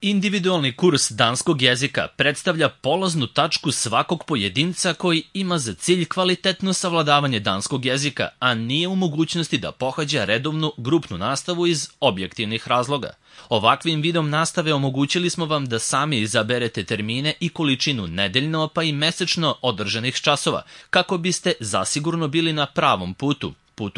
Individualni kurs danskog jezika predstavlja polaznu tačku svakog pojedinca koji ima za cilj kvalitetno savladavanje danskog jezika, a nije u mogućnosti da pohađa redovnu grupnu nastavu iz objektivnih razloga. Ovakvim vidom nastave omogućili smo vam da sami izaberete termine i količinu nedeljno pa i mesečno održanih časova, kako biste zasigurno bili na pravom putu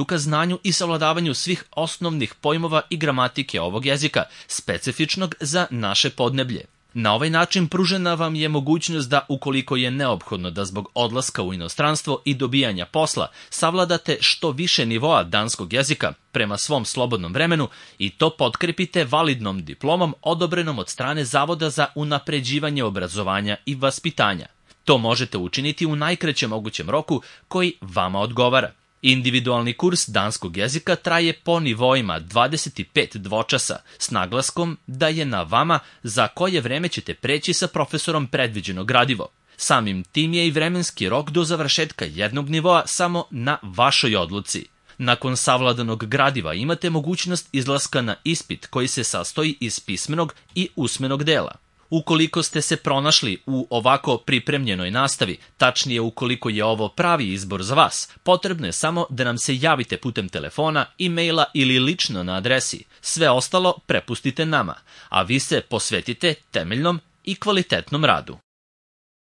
ka znanju i savladavanju svih osnovnih pojmova i gramatike ovog jezika, specifičnog za naše podneblje. Na ovaj način pružena vam je mogućnost da, ukoliko je neophodno da zbog odlaska u inostranstvo i dobijanja posla, savladate što više nivoa danskog jezika prema svom slobodnom vremenu i to potkrepite validnom diplomom odobrenom od strane Zavoda za unapređivanje obrazovanja i vaspitanja. To možete učiniti u najkraćem mogućem roku koji vama odgovara. Individualni kurs danskog jezika traje po nivoima 25 dvočasa s naglaskom da je na vama za koje vreme ćete preći sa profesorom predviđeno gradivo. Samim tim je i vremenski rok do završetka jednog nivoa samo na vašoj odluci. Nakon savladanog gradiva imate mogućnost izlaska na ispit koji se sastoji iz pismenog i usmenog dela. Ukoliko ste se pronašli u ovako pripremljenoj nastavi, tačnije ukoliko je ovo pravi izbor za vas, potrebno je samo da nam se javite putem telefona, e-maila ili lično na adresi. Sve ostalo prepustite nama, a vi se posvetite temeljnom i kvalitetnom radu.